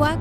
Cuac.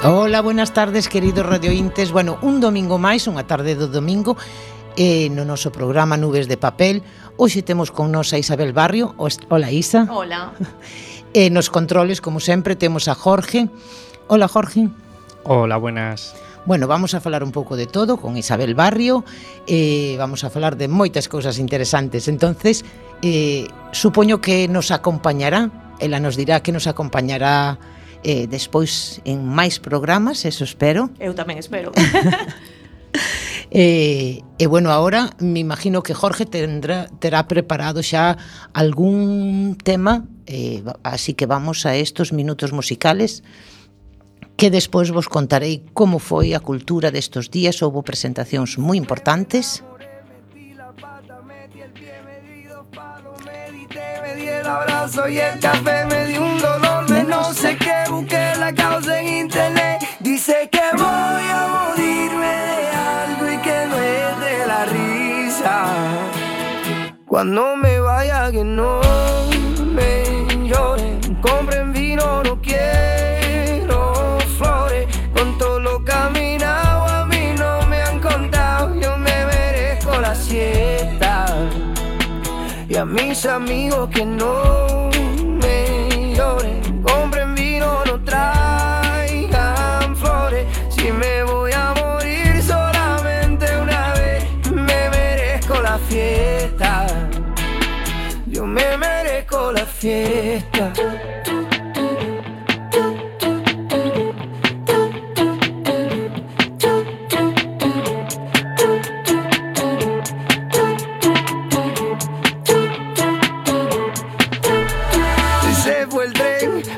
Hola, buenas tardes, queridos radiointes. Bueno, un domingo máis, unha tarde do domingo, no noso programa Nubes de Papel. Hoxe temos con nos a Isabel Barrio. Hola, Isa. Hola. Nos controles, como sempre, temos a Jorge. Hola, Jorge. Hola, buenas. Bueno, vamos a falar un pouco de todo con Isabel Barrio. Vamos a falar de moitas cousas interesantes. Entonces, supoño que nos acompañará. Ela nos dirá que nos acompañará despois en máis programas, eso espero. Eu tamén espero. Bueno, ahora me imagino que Jorge terá preparado xa algún tema, así que vamos a estos minutos musicales que despois vos contarei como foi a cultura destos días. Houbo presentacións moi importantes. El abrazo y el café me dio un dolor de no sé qué, busqué la causa en internet. Dice que voy a morirme de algo y que no es de la risa. Cuando me vaya que no me lloren, compren vino, no quiero flores. Con todo lo caminado a mí no me han contado, yo me merezco la siesta. Y a mis amigos que no me lloren, compren vino, no traigan flores. Si me voy a morir solamente una vez, me merezco la fiesta. Yo me merezco la fiesta.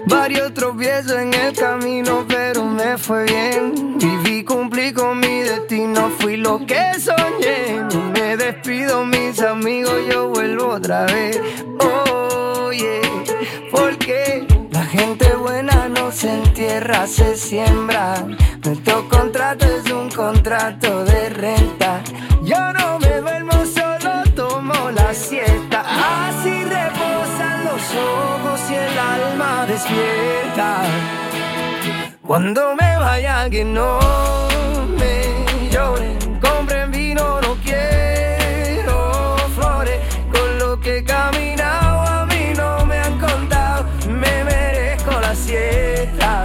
Varios tropiezos en el camino, pero me fue bien. Viví, cumplí con mi destino, fui lo que soñé. Me despido, mis amigos, yo vuelvo otra vez. Oye, porque la gente buena no se entierra, se siembra. Nuestro contrato es un contrato de renta. Yo no me duermo, solo tomo la siesta. Así reposan los ojos y el alma despierta. Cuando me vaya que no me lloren, compren vino, no quiero flores. Con lo que he caminado a mí no me han contado, me merezco la siesta.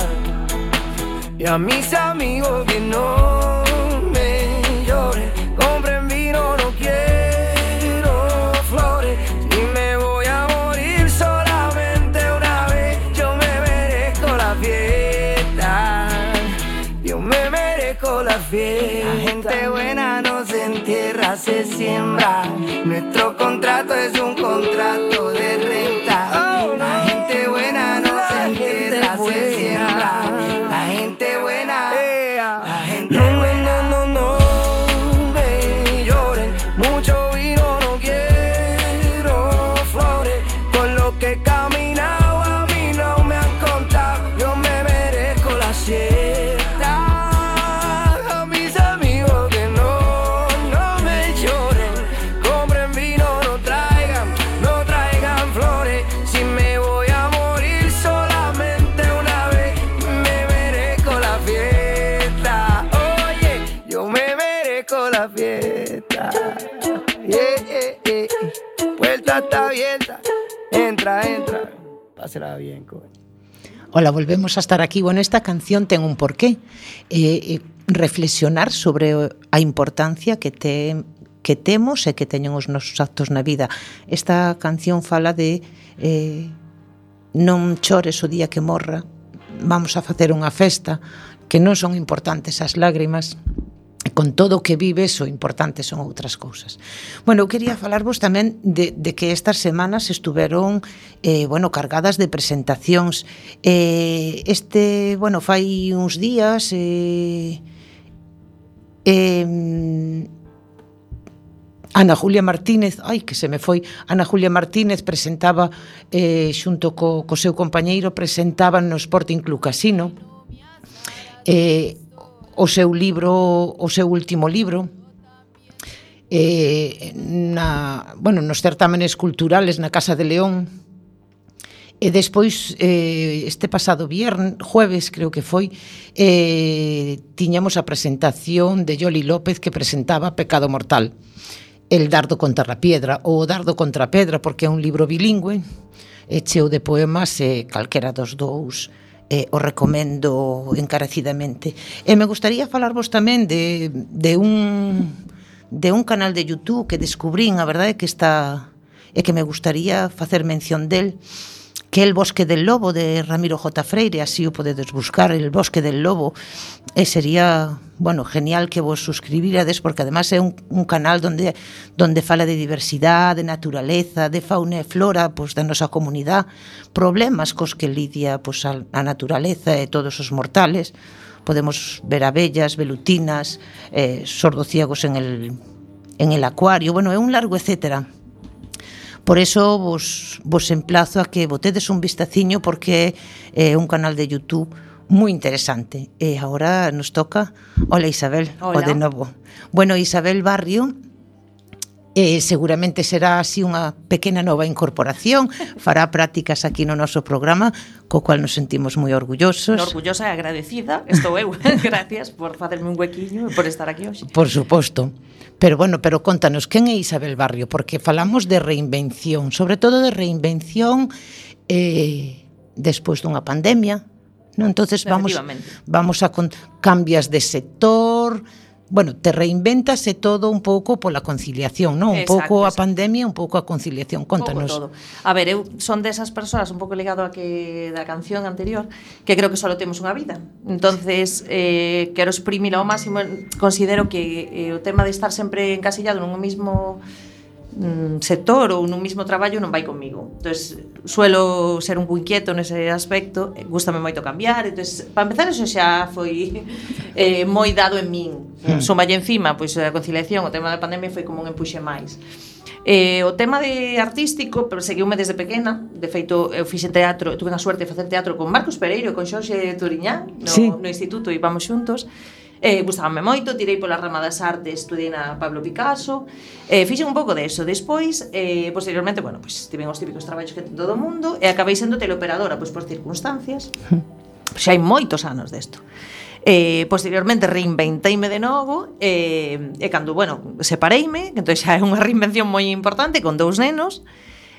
Y a mis amigos que no me lloren, compren vino, no quiero flores. Si me voy a morir solamente una vez, yo me merezco la fiesta. Yo me merezco la fiesta. La gente buena no se entierra, se siembra. Nuestro contrato es un contrato de renta. La gente buena no se entierra, se siembra. La gente buena, la gente buena. No me lloren, mucho vino, no quiero flores. Con lo que he caminado a mí no me han contado, yo me merezco la siesta. A mis amigos que no me lloren, compren vino, no traigan flores. Si me voy a morir solamente una vez, me merezco la fiesta. Oye, yo me merezco la fiesta. Puerta está abierta, entra, pásela bien, coño. Hola, volvemos a estar aquí. Bueno, esta canción ten un porqué. Reflexionar sobre a importancia que temos e que teñen os nosos actos na vida. Esta canción fala de non chores o día que morra, vamos a facer unha festa, que non son importantes as lágrimas, con todo o que vives, o importante son outras cousas. Bueno, eu quería falarvos tamén de que estas semanas estuveron cargadas de presentacións. Fai uns días Ana Julia Martínez, Ana Julia Martínez presentaba xunto co seu compañeiro, presentaban no Sporting Club Casino o seu último libro nos certámenes culturales na Casa de León. E despois, este pasado jueves, creo que foi, tiñamos a presentación de Yoli López, que presentaba Pecado Mortal, El dardo contra a piedra, ou O dardo contra a pedra, porque é un libro bilingüe, cheo de poemas, e calquera dos dous o recomendo encarecidamente. E me gustaría falarvos tamén de un canal de YouTube que descubrín, a verdade é que me gustaría facer mención del, que é El Bosque del Lobo, de Ramiro J. Freire. Así o podedes buscar, El Bosque del Lobo, e sería, genial que vos suscribirades, porque además é un canal donde fala de diversidade, de naturaleza, de fauna e flora, da nosa comunidade, problemas cos que lidia a naturaleza e todos os mortales. Podemos ver abellas, velutinas, sordociegos en el acuario, é un largo etcétera. Por eso vos emplazo a que botedes un vistaciño, porque é un canal de YouTube moi interesante. E agora nos toca, hola Isabel, o de novo. Bueno, Isabel Barrio seguramente será así unha pequena nova incorporación, fará prácticas aquí no noso programa, co cual nos sentimos moi orgullosos. Orgullosa e agradecida, estou eu. Gracias por facerme un huequiño e por estar aquí hoxe. Por suposto. Pero contanos, quen é Isabel Barrio? Porque falamos de reinvención, sobre todo de reinvención despois dunha pandemia, non? Entonces vamos a cambias de sector, te reinventas e todo un pouco pola conciliación, non? Un pouco a pandemia, un pouco a conciliación. Contanos. Un pouco todo. A ver, eu son desas persoas un pouco ligado a que da canción anterior, que creo que só temos unha vida. Entonces, quero exprimir ao máximo. Considero que o tema de estar sempre encasillado nun mismo sector ou nun mismo traballo non vai comigo. Entonces, suelo ser un pouco inquieto nese aspecto, gústame moito cambiar. Entonces, para empezar, eso xa foi moi dado en min. Sumalle encima, pois a conciliación, o tema da pandemia foi como un empuxe máis. O tema de artístico, pero seguiume desde pequena. De feito, eu fixen teatro, tuve a suerte de facer teatro con Marcos Pereiro e con Xorxe Turiñán no instituto, íbamos xuntos. Gustábame moito, tirei pola rama das artes, estudiei na Pablo Picasso, fixen un pouco deso. Despois, posteriormente, tiven os típicos traballos que ten todo o mundo, e acabei sendo teleoperadora, por circunstancias. Xa hai moitos anos desto. Posteriormente reinventeime de novo, e cando, separeime, entón xa é unha reinvención moi importante, con 2 nenos.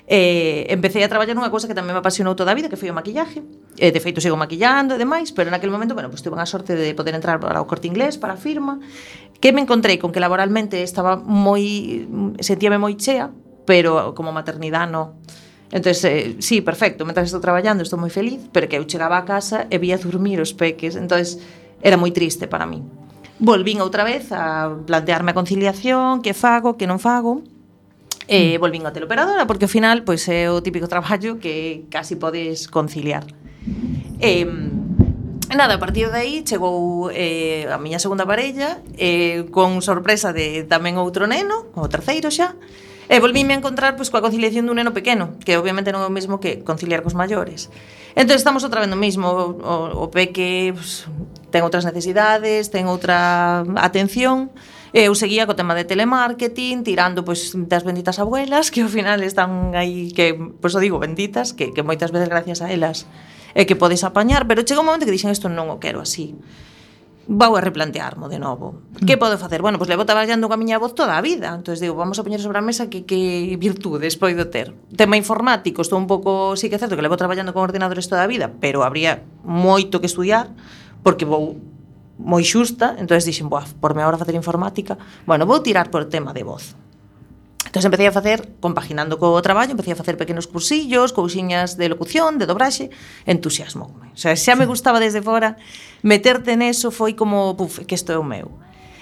Empecé a traballar nunha cousa que tamén me apasionou toda a vida, que foi o maquillaje. De feito sigo maquillando e demais, pero naquele momento, tuve a sorte de poder entrar para o Corte Inglés, para a firma, que me encontrei con que laboralmente sentíame moi chea, pero como maternidade non. Entón, sí, perfecto, mentras estou traballando estou moi feliz, pero que eu chegaba a casa e vía dormir os peques, entón era moi triste para min. Volvín outra vez a plantearme a conciliación, que fago, que non fago. Volvín a teleoperadora, porque ao final é o típico traballo que casi podes conciliar. Nada, a partir de aí chegou a miña segunda parella, con sorpresa de tamén outro neno, o terceiro xa, e volvíme a encontrar coa conciliación dun neno pequeno, que obviamente non é o mesmo que conciliar cos maiores. Entón estamos outra vez no mesmo, o peque ten outras necesidades, ten outra atención. Eu seguía co tema de telemarketing, tirando das benditas abuelas, que ao final están aí, que o digo benditas, que moitas veces gracias a elas é que podes apañar, pero chega un momento que dixen isto non o quero así. Vou a replantearmo de novo. Que podo facer? Levo traballando coa miña voz toda a vida. Entón digo, vamos a poñer sobre a mesa que virtudes poido ter. Tema informático, estou un pouco, sí que é certo que levo traballando con ordenadores toda a vida, pero habría moito que estudiar, porque vou moi xusta, entonces dixen, porme agora a facer informática, bueno, vou tirar por tema de voz. Entón empecé a facer, compaginando co traballo, empecé a facer pequenos cursillos, cousiñas de locución, de dobraxe, entusiasmo. O sea, xa me gustaba desde fora, meterte neso foi como, que isto é o meu.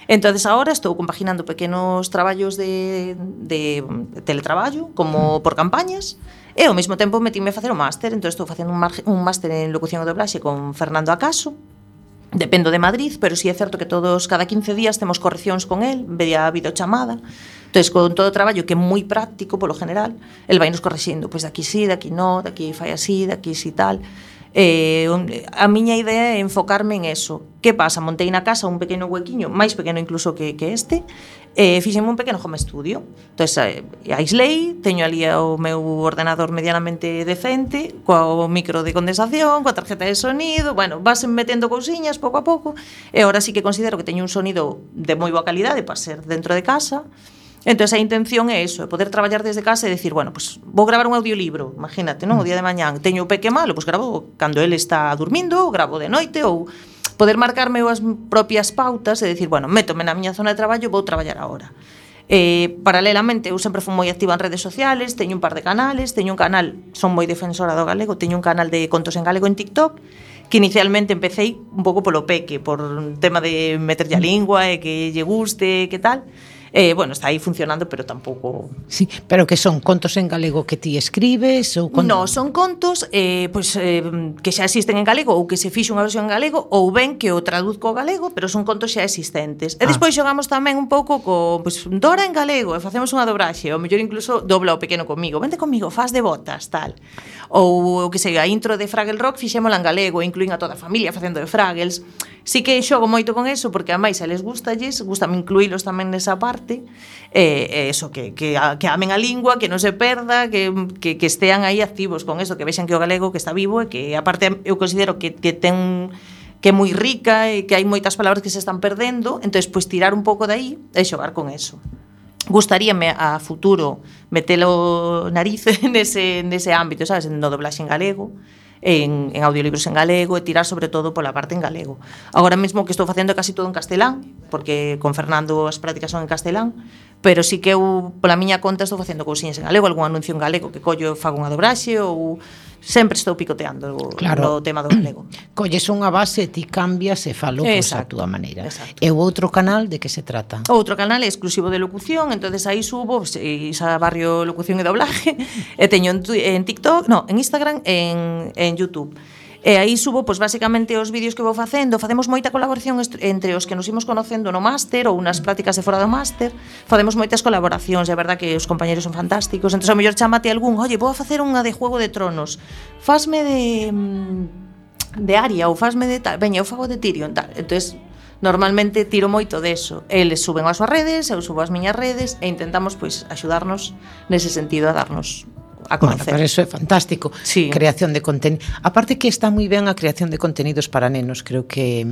Entonces agora estou compaginando pequenos traballos de teletraballo, como por campañas, e ao mesmo tempo metíme a facer o máster, entón estou facendo un máster en locución e dobraxe con Fernando Acaso. Dependo de Madrid, pero sí é certo que cada 15 días temos correccións con el, vía videochamada. Entón, con todo o traballo que é moi práctico, polo general, el vai nos correxindo, pois daqui sí, daqui no, daqui fai así, daqui sí tal. A miña idea é enfocarme en eso. Que pasa? Montei na casa un pequeno huequiño, máis pequeno incluso que este, fixenme un pequeno home studio. Entón, aislei, teño ali o meu ordenador medianamente decente, coa micro de condensación, coa tarjeta de sonido, bueno, vas metendo cousiñas pouco a pouco, e agora sí que considero que teño un sonido de moi boa calidade para ser dentro de casa. Entón, a intención é eso, é poder traballar desde casa e decir, bueno, pues vou gravar un audiolibro, imagínate, non? O día de mañán teño o peque malo, pues gravo cando ele está dormindo, gravo de noite, ou poder marcarme as propias pautas e decir, bueno, métome na miña zona de traballo, vou traballar agora. Paralelamente, eu sempre fui moi activa en redes sociales, teño un par de canales, teño un canal, son moi defensora do galego, teño un canal de contos en galego en TikTok, que inicialmente empecéi un pouco polo peque, por un tema de meterlle a lingua e que lle guste, que tal. Bueno, está aí funcionando, pero tampouco... Sí, pero que son contos en galego que ti escribes? Ou No, son contos que xa existen en galego ou que se fixe unha versión en galego ou ben que o traduzco ao galego, pero son contos xa existentes. E despois xogamos tamén un pouco co Dora en galego e facemos unha dobraxe, ou mellor incluso dobla o pequeno comigo, vente comigo, faz de botas, tal. Ou que sei, a intro de Fraggle Rock fixémola en galego, incluín a toda a familia facendo de Fraggles. Sí que xogo moito con eso, porque a máis a les gustame incluílos tamén nesa parte, eso, que amen a lingua, que non se perda, que estean aí activos con eso, que vexan que o galego que está vivo e que, aparte, eu considero que é moi rica e que hai moitas palabras que se están perdendo, entón, pois, tirar un pouco de aí e xogar con eso. Gustaríame a futuro metelo nariz nese ámbito, sabes, no doblaxe en galego, en audiolibros en galego e tirar sobre todo pola parte en galego. Agora mesmo que estou facendo casi todo en castelán, porque con Fernando as prácticas son en castelán, pero sí que eu pola miña conta estou facendo cousiñas en galego, algún anuncio en galego que collo fago unha dobraxe ou sempre estou picoteando no tema do galego. Colles unha base, ti cambias e falo pois a túa maneira. Exacto. E o outro canal de que se trata? O outro canal é exclusivo de locución, entonces aí subo Isa Barrio Locución e Doblaje, e teño en TikTok, en Instagram, en YouTube. E aí subo, pois, basicamente os vídeos que vou facendo. Facemos moita colaboración entre os que nos imos conocendo no máster ou nas prácticas de fora do máster. Facemos moitas colaboracións, é verdad que os compañeros son fantásticos. Entón, ao mellor chámate algún, oye, vou a facer unha de Juego de Tronos, fasme de Aria ou fasme de tal, veña, eu fago de Tyrion, tal. Entón, normalmente tiro moito deso. Eles suben as súas redes, eu subo as miñas redes e intentamos, pois, axudarnos nese sentido a darnos a conocer. Bueno, pero eso é fantástico. Sí. Creación de contenido. Aparte que está moi ben a creación de contenidos para nenos, creo que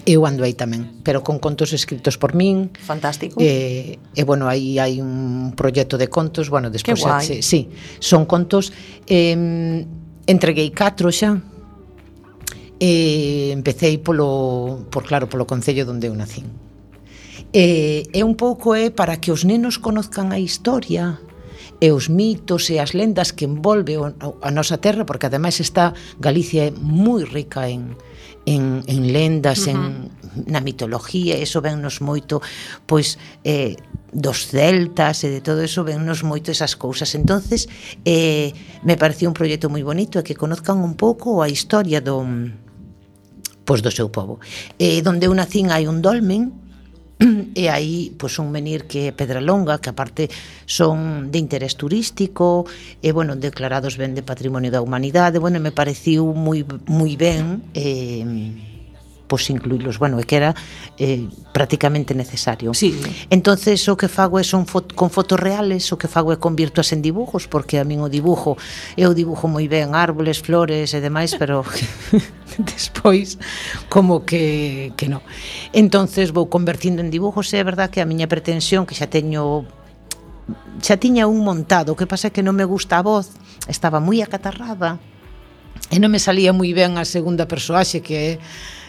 eu ando aí tamén, pero con contos escritos por min. Fantástico. E bueno, aí hai un proxecto de contos, bueno, despois sí, son contos entreguei 4 xa. Empecei polo concello onde eu nacín. E un pouco é para que os nenos conozcan a historia e os mitos e as lendas que envolve a nosa terra, porque ademais está Galicia é moi rica en lendas, na mitología, e iso vennos moito, pois, dos celtas e de todo eso vennos moito esas cousas. Entonces, me parecía un proxecto moi bonito e que conozcan un pouco a historia do seu povo. Donde eu nacín hai un dolmen, e aí pois un menir que é Pedralonga, que aparte son de interés turístico e bueno, declarados ben de Patrimonio da Humanidade. Bueno, me pareciu moi ben pois incluílos, bueno, é que era prácticamente necesario. Sí. Entonces o que fago con fotos reales, o que fago é convirtoas en dibujos, porque a min o dibujo, eu dibujo moi ben árboles, flores e demais, pero despois como que non. Entonces vou convertindo en dibujos, e é verdad que a miña pretensión, que xa tiña un montado, o que pasa é que non me gusta a voz, estaba moi acatarrada, e non me salía moi ben a segunda persoaxe, que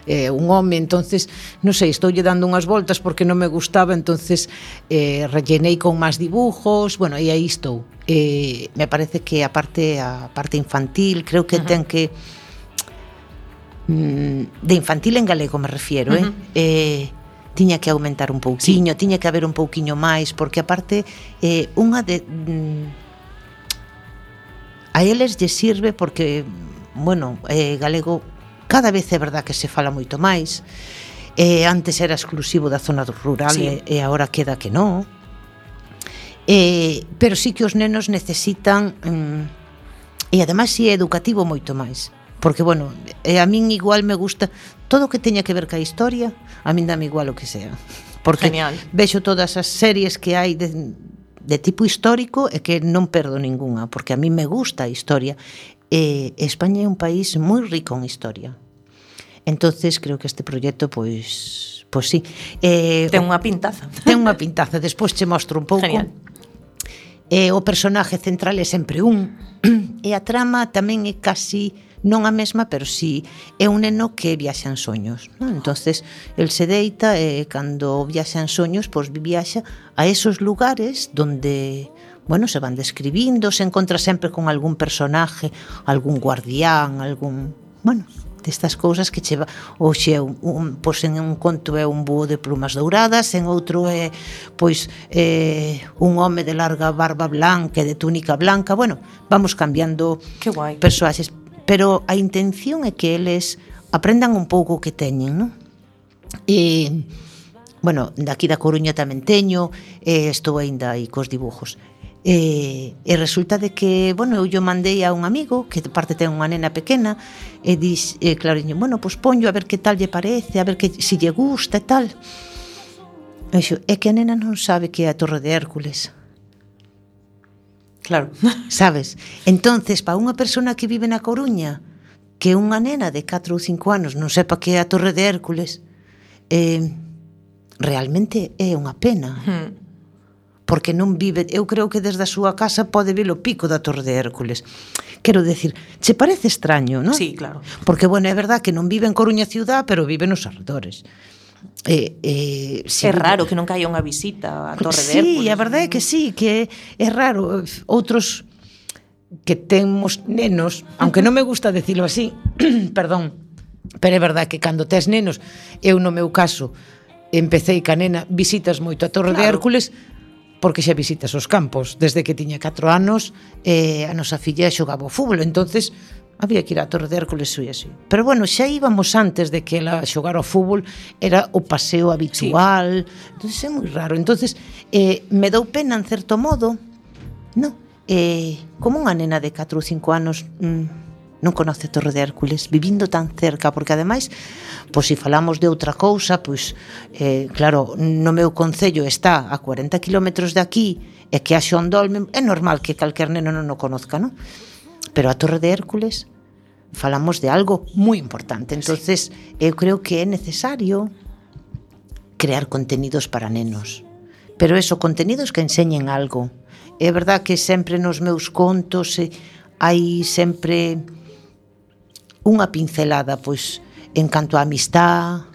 é un home, entonces non sei, estoulle dando unhas voltas porque non me gustaba, entonces rellenei con máis dibujos, bueno, e aí estou. Me parece que a parte infantil creo que ten que de infantil en galego me refiero, tiña que aumentar un pouquiño, tiña que haber un pouquiño máis, porque aparte unha de a eles lle sirve porque, bueno, galego cada vez é verdad que se fala moito máis. Antes era exclusivo da zona rural, e agora queda que non. Pero sí que os nenos necesitan, e ademais si é educativo moito máis. Porque, bueno, a min igual me gusta todo o que teña que ver ca historia, a min dame igual o que sea. Porque vexo todas as series que hai de tipo histórico e que non perdo ninguna, porque a mí me gusta a historia. España é un país moi rico en historia. Entonces creo que este proxecto pois sí. Ten unha pintaza. Ten unha pintaza, despois che mostro un pouco. Genial. O personaje central é sempre un, e a trama tamén é casi non a mesma, pero sí é un neno que viaxa en soños, non? Entonces el se deita e cando viaxa en soños, pois viaxa a esos lugares donde, bueno, se van describindo, se encontra sempre con algún personaje, algún guardián, algún, bueno, destas cousas que cheva, ou xe pois en un conto é un búho de plumas douradas, en outro é pois un home de larga barba blanca e de túnica blanca. Bueno, vamos cambiando persoaxes, pero a intención é que eles aprendan un pouco o que teñen, non? E bueno, daqui da Coruña tamén teño, estou aínda aí cos dibujos. E resulta de que, bueno, eu mandei a un amigo que de parte ten unha nena pequena e dis, clariño, bueno, pois ponlo a ver que tal lle parece, a ver que si lle gusta e tal. E xo, é que a nena non sabe que é a Torre de Hércules. Claro. Sabes? Entonces, para unha persona que vive na Coruña, que unha nena de 4 ou 5 anos non sepa que é a Torre de Hércules, realmente é unha pena. Porque non vive, eu creo que desde a súa casa pode ver o pico da Torre de Hércules. Quero decir, che parece extraño, non? Sí, claro. Porque, bueno, é verdad que non vive en Coruña ciudad, pero vive nos arredores. Sí, é raro que non caia unha visita á Torre de Hércules. Sí, a verdade é que sí, que é raro. Outros que temos nenos, aunque non me gusta decirlo así, perdón, pero é verdad que cando tes nenos, eu no meu caso, empecé ca nena, visitas moito a Torre de Hércules, porque xa visitas os campos. Desde que tiña 4 anos, a nosa filla xogaba ao fútbol, entonces había que ir á Torre de Hércules e así. Pero bueno, xa íbamos antes de que ela xogara ao fútbol, era o paseo habitual, entonces é moi raro. Entonces me dou pena en certo modo, non? Como unha nena de 4 ou 5 anos non conoce a Torre de Hércules, vivindo tan cerca, porque ademais, pois se falamos de outra cousa, pois claro, no meu concello está a 40 kilómetros de aquí, e que a Xondolme, é normal que calquer neno non o conozca, non? Pero a Torre de Hércules falamos de algo moi importante, entonces eu creo que é necesario crear contenidos para nenos, pero eso, contenidos que enseñen algo. É verdad que sempre nos meus contos hai sempre unha pincelada, pois, en canto a amistad,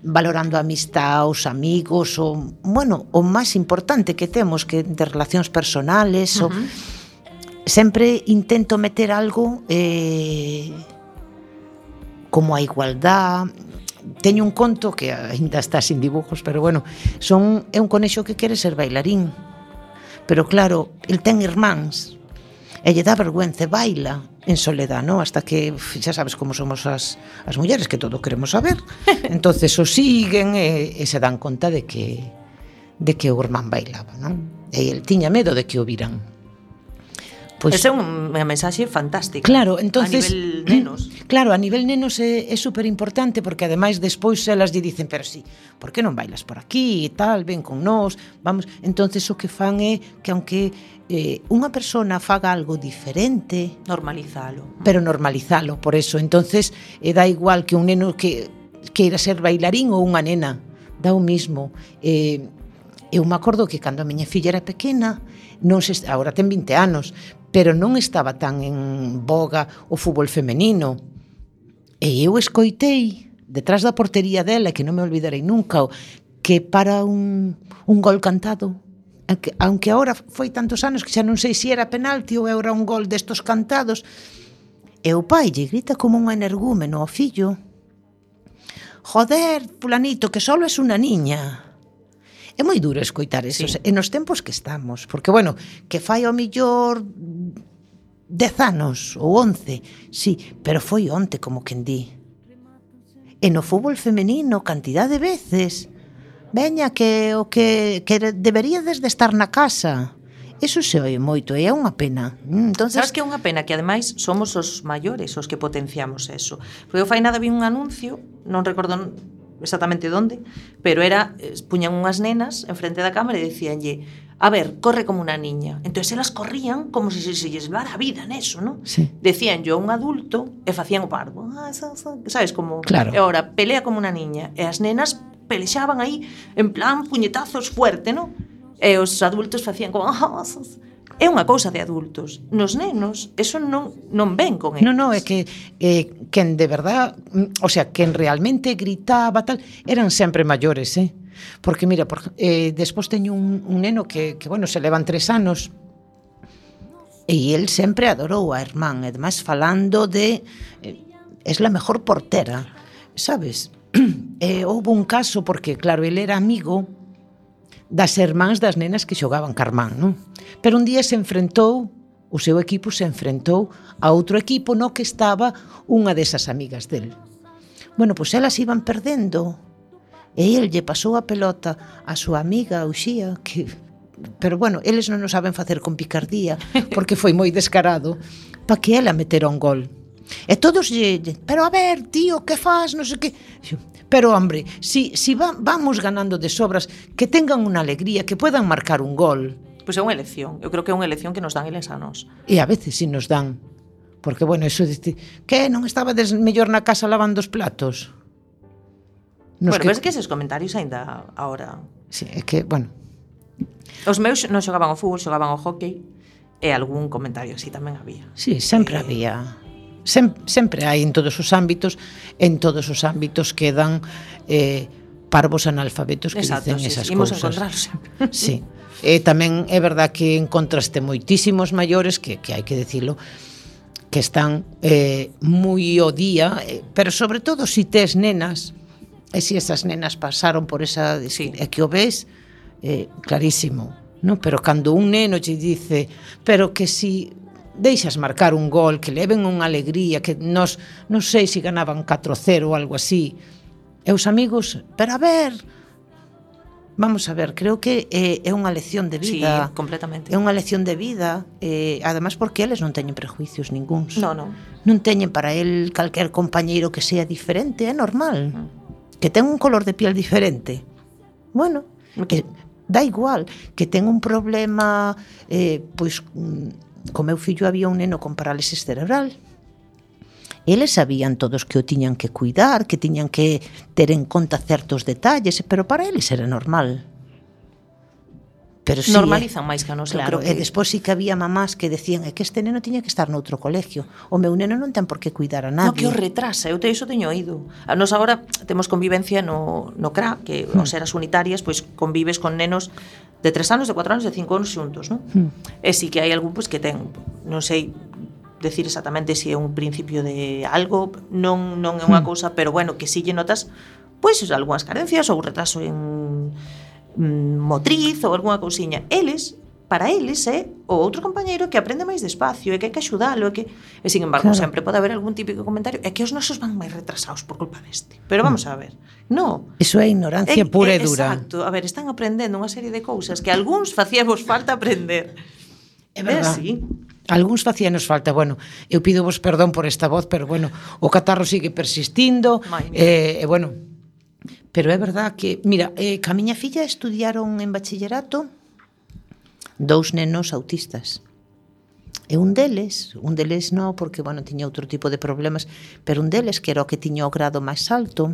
valorando a amistad, os amigos, o máis importante que temos, que de relacións personales, sempre intento meter algo como a igualdad. Teño un conto que ainda está sin dibujos, pero bueno, é un conexo que quere ser bailarín, pero claro, el ten irmáns, e lle dá vergüenza, baila en soledad, ¿no? Hasta que xa sabes como somos as mulleres, que todo queremos saber. Entonces o siguen e se dan conta de que o irmán bailaba, non? E el tiña medo de que o viran. Esa é unha mensaxe fantástica. Claro, entonces, a nivel nenos. Claro, a nivel nenos é super importante, porque ademais despois elas lle dicen, pero sí, por que non bailas por aquí e tal, ven con nós, vamos. Entonces o que fan é que aunque unha persona faga algo diferente, normalizalo. Pero normalizalo, por eso. Entonces dá igual que un neno que queira ser bailarín ou unha nena, dá o mismo. Eu me acordo que cando a miña filla era pequena, agora ten 20 anos, pero non estaba tan en boga o fútbol femenino. E eu escoitei detrás da portería dela, que non me olvidarei nunca, que para un gol cantado, aunque agora foi tantos anos que xa non sei se era penalti ou era un gol destos cantados, e o pai lle grita como un energúmeno ao fillo: joder, fulanito, que solo es unha niña. É moi duro escoitar eso, sí. E nos tempos que estamos, porque, bueno, que fai ao millor 10 anos ou 11, sí, pero foi onte, como quen di. E no fútbol femenino, cantidad de veces, veña, que o que deberíades de estar na casa. Eso se oe moito e é unha pena. Entonces, sabes que é unha pena que ademais somos os maiores os que potenciamos eso. Porque eu fai nada vi un anuncio, non recordo exactamente onde, pero era, puñan unhas nenas en frente da cámara e dicíanlle: a ver, corre como unha niña. Entonces elas corrían como se lles levara a vida neso, ¿no? Sí. Decían yo a un adulto e facían o parvo. Sabes, como... Claro. E ahora, pelea como unha niña. E as nenas pelexaban aí en plan puñetazos fuerte, ¿no? E os adultos facían como... É unha cousa de adultos. Nos nenos, eso non ven con eles. Non, é que quen de verdad, o sea, quen realmente gritaba tal, eran sempre maiores, Porque, mira, despois teño un neno que, bueno, se levan 3 anos, e el sempre adorou a irmán, e además falando de es la mejor portera, sabes? Houve un caso, porque, claro, el era amigo das irmáns das nenas que xogaban carmán, non? Pero un día se enfrentou, o seu equipo se enfrentou a outro equipo no que estaba unha desas amigas del. Bueno, pois elas iban perdendo, e el lle pasou a pelota a súa amiga, a Uxía, que... Pero, bueno, eles non o saben facer con picardía, porque foi moi descarado, para que ela metera un gol. E todos lle... Pero, a ver, tío, que faz? Non sei que... Pero, hombre, si vamos ganando de sobras, que tengan unha alegría, que puedan marcar un gol. Pois é unha elección. Eu creo que é unha elección que nos dan eles a nós. E a veces si nos dan. Porque, bueno, eso de... Que non estabades mellor na casa lavando os platos? Bueno, pero é que eses comentarios ainda ahora... Sí, é que, bueno... Os meus non xogaban ao fútbol, xogaban ao hockey, e algún comentario así tamén había. Sí, sempre había... Sempre hai en todos os ámbitos quedan parvos analfabetos que dicen esas cousas. Imos encontrarlos sempre. Sí. Tamén é verdad que encontraste moitísimos maiores que hai que dicilo, que están moi ao día, pero sobre todo si tes nenas, e si esas nenas pasaron por esa... Sí. E que o ves, clarísimo, non? Pero cando un neno te dice, pero que si... deixas marcar un gol, que leven unha alegría, que nos non sei se ganaban 4-0 ou algo así, e os amigos, pero a ver, vamos a ver, creo que é unha lección de vida. Sí, completamente. É unha lección de vida, además porque eles non teñen prejuicios ningúns. Non. Non teñen para el calquer compañeiro que sea diferente, é normal. Que ten un color de piel diferente. Bueno, que dá igual, que ten un problema, pois... Co meu fillo había un neno con parálisis cerebral. Eles sabían todos que o tiñan que cuidar, que tiñan que ter en conta certos detalles, pero para eles era normal. Pero sí, normalizan máis que a nos, claro, creo que... E despois sí que había mamás que decían que este neno tiña que estar noutro colegio. O meu neno non ten por que cuidar a nadie. No, que o retrasa, eu iso teño oído. A nos agora temos convivencia no CRA, que ao ser as unitarias, pois convives con nenos de 3 anos, de 4 anos, de 5 anos xuntos, non? E si que hai algún pois que ten, non sei decir exactamente se é un principio de algo, non é unha cousa, pero bueno, que si lle notas pois algunhas carencias ou retraso en motriz ou algunha cousiña. Para eles é o outro compañeiro que aprende máis despacio e que hai que axudalo e sin embargo, claro, sempre pode haber algún típico comentario é que os nosos van máis retrasados por culpa deste. Pero vamos a ver, no, eso é ignorancia pura e dura. Exacto, a ver, están aprendendo unha serie de cousas que algúns facíamos falta aprender. É verdade. Sí. Algúns facíanos falta, bueno, eu pido vos perdón por esta voz, pero bueno, o catarro sigue persistindo, bueno, pero é verdad que, mira, que a miña filla estudiaron en bachillerato 2 nenos autistas. E un deles non, porque, bueno, tiña outro tipo de problemas, pero un deles, que era o que tiña o grado máis alto,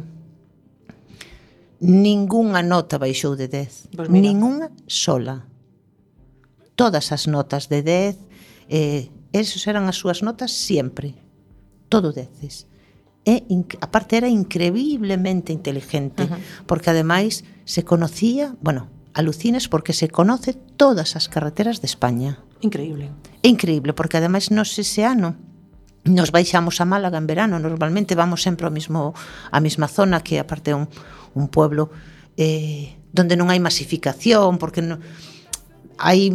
ningunha nota baixou de 10. Pues ningunha sola. Todas as notas de 10, esos eran as súas notas sempre, todo 10. Aparte era increíblemente inteligente, porque ademais se conocía, alucines porque se conoce todas as carreteras de España. Increíble. É increíble, porque ademais nos ese ano nos baixamos a Málaga en verano, normalmente vamos sempre á mesma zona, que aparte é un pueblo donde non hai masificación, porque hai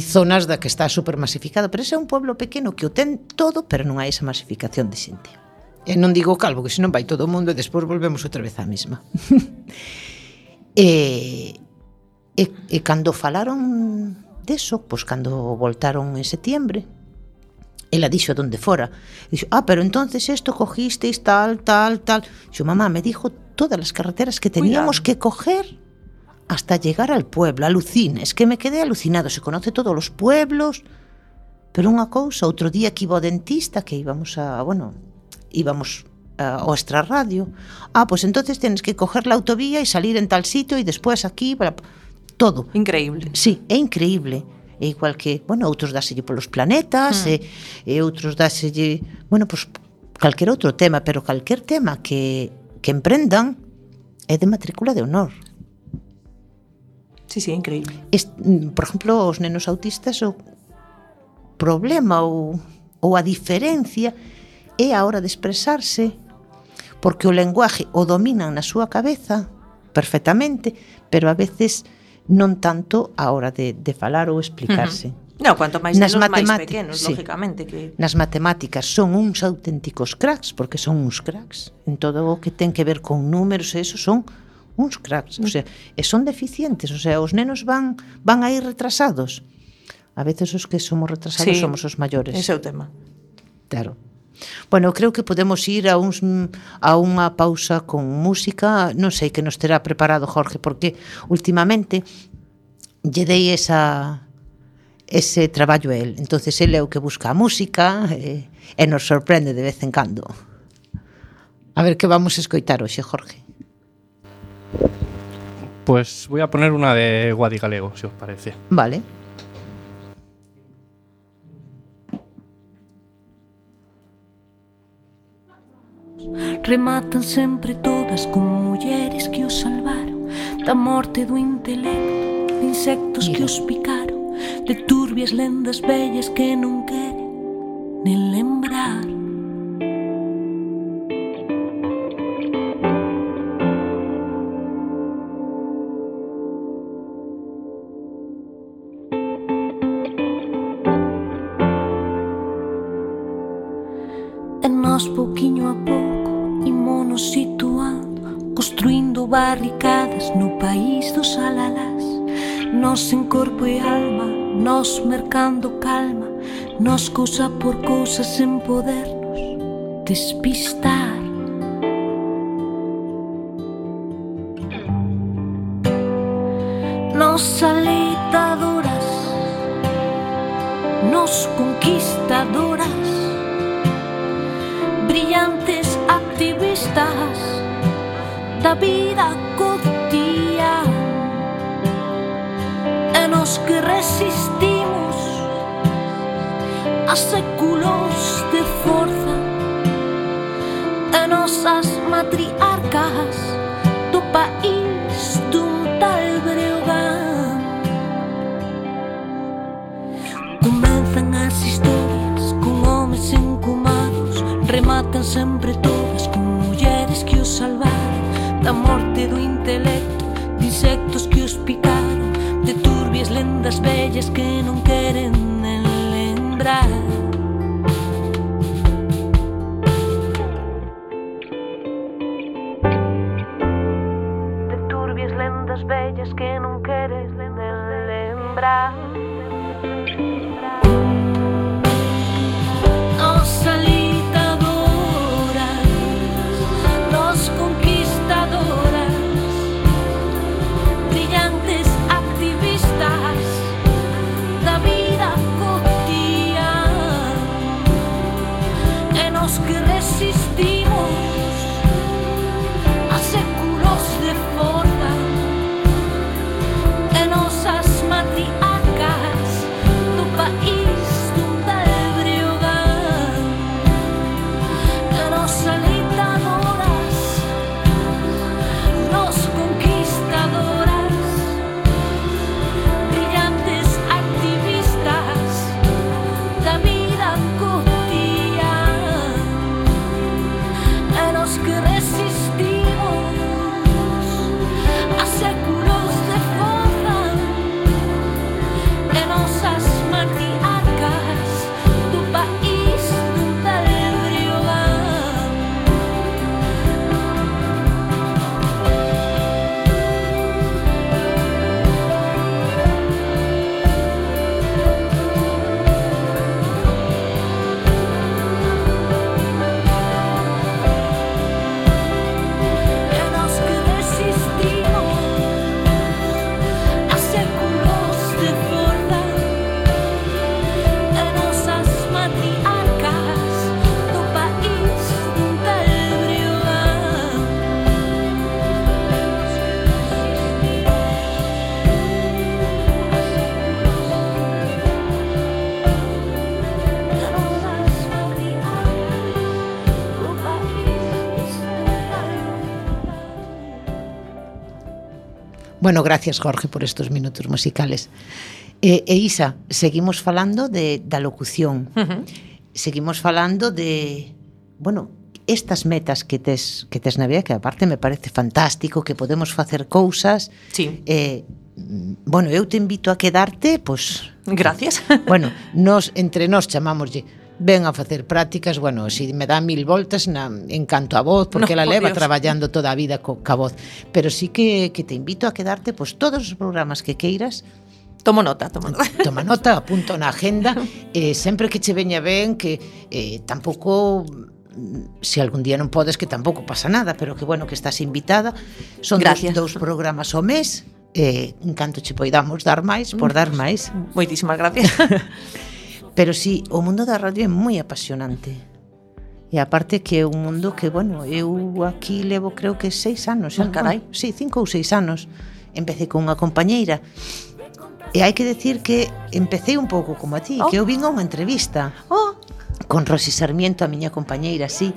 zonas da que está super masificado, pero ese é un pueblo pequeno que o ten todo, pero non hai esa masificación de xente. E non digo calvo, que senón vai todo o mundo e despois volvemos outra vez á mesma. E cando falaron deso, pois cando voltaron en setiembre, ela dixo donde fora, dixo, pero entonces esto cogisteis tal. Dixo, mamá, me dijo todas las carreteras que teníamos que coger hasta llegar al pueblo. Alucines, que me quedé alucinado, se conoce todos los pueblos. Pero unha cousa, outro día que iba ao dentista, que íbamos ao extrarradio, pues entonces tienes que coger la autovía e salir en tal sitio e despois aquí, todo. Increíble. Sí, é increíble. É igual que, outros dáselle polos planetas, e outros dáselle, pues calquer outro tema, pero calquer tema que emprendan é de matrícula de honor. Sí, increíble. Por exemplo, os nenos autistas, o problema ou a diferencia é a hora de expresarse, porque o lenguaje o dominan na súa cabeza perfectamente, pero a veces non tanto a hora de falar ou explicarse. Cuanto máis nenos máis pequenos, lógicamente. Nas matemáticas son uns auténticos cracks, porque son uns cracks. En todo o que ten que ver con números, eso son uns cracks. O sea, e son deficientes, o sea, os nenos van a ir retrasados. A veces os que somos retrasados somos os maiores. Ese é o tema. Claro. Creo que podemos ir a unha pausa con música, non sei que nos terá preparado Jorge, porque últimamente lle dei ese traballo a él, entonces ele é o que busca a música e nos sorprende de vez en cando. A ver, que vamos a escoitar hoxe, Jorge? Pues voy a poner una de Guadi Galego, si os parece. Vale. Rematan sempre todas con mulleres que os salvaron da morte do intelecto, de insectos que os picaron, de turbias lendas vellas que non queren nen lembrar. E nós pouquiño a pouco imos situando, construindo barricadas no país dos alalás. Nós en corpo e alma, nós mercando calma, nós cousa por cousa sen podernos despistar. Nós alitadoras, nós conquistadoras, brillantes activistas da vida cotidiana, e nos que resistimos a séculos de forza, e nosas matriarcas do país dun tal Breogán. Comenzan as historias con homes encumados, rematan sempre todas con mulleres que os salvaron da morte do intelecto, de insectos que os picaron, de turbias lendas vellas que non queren nen lembrar. De turbias lendas vellas que non queres nen lembrar. Nos alitadoras, nos conquistadoras, brillantes activistas da vida cotidiana, e nos que resistimos a séculos de forza, e nosas matriarcas do país Bueno, gracias, Jorge, por estos minutos musicales. E Isa, seguimos falando da locución. Seguimos falando de, bueno, estas metas que tes na vida, que aparte me parece fantástico, que podemos facer cousas. Sí. Bueno, eu te invito a quedarte, pois... Gracias. Bueno, entre nós chamámoslle ven a facer prácticas, bueno, si me dá 1000 voltas en canto a voz, porque ela leva traballando toda a vida ca voz, pero sí que te invito a quedarte, pois todos os programas que queiras. Tomo nota. Toma nota, apunto na agenda, sempre que che veña ben, que tampouco, se algún día non podes, que tampouco pasa nada, pero que bueno, que estás invitada. Son dous programas ao mes, en canto che poidamos dar máis, por dar máis. Moitísimas gracias. Pero sí, o mundo da radio é moi apasionante. E aparte que é un mundo que, bueno, eu aquí levo creo que 6 anos. Carai. Sí, 5 ou 6 anos. Empecé con unha compañeira. E hai que decir que empecé un pouco como a ti, que eu vin a unha entrevista. Con Rosy Sarmiento, a miña compañeira, sí.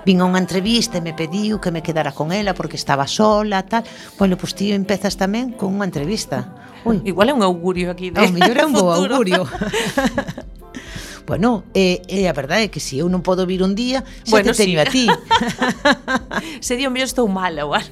Vin a unha entrevista e me pediu que me quedara con ela porque estaba sola, tal. Bueno, pois ti empezas tamén con unha entrevista. Ui, igual é un augurio aquí de mellor é un bo augurio. Bueno, a verdade é que se eu non podo vir un día, xa te teño a ti. Sería o mellor estou mala ou algo.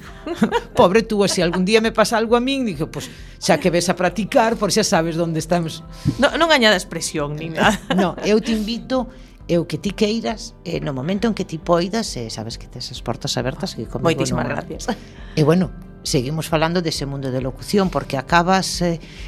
Pobre tú, se algún día me pasa algo a min, digo, pois xa que ves a practicar, por xa sabes onde estamos. Non añada expresión nin nada. No, eu te invito, eu que ti queiras, no momento en que ti poidas, sabes que tes as portas abertas, que comigo moitísimas gracias. E bueno, seguimos falando dese mundo de locución, porque acabas,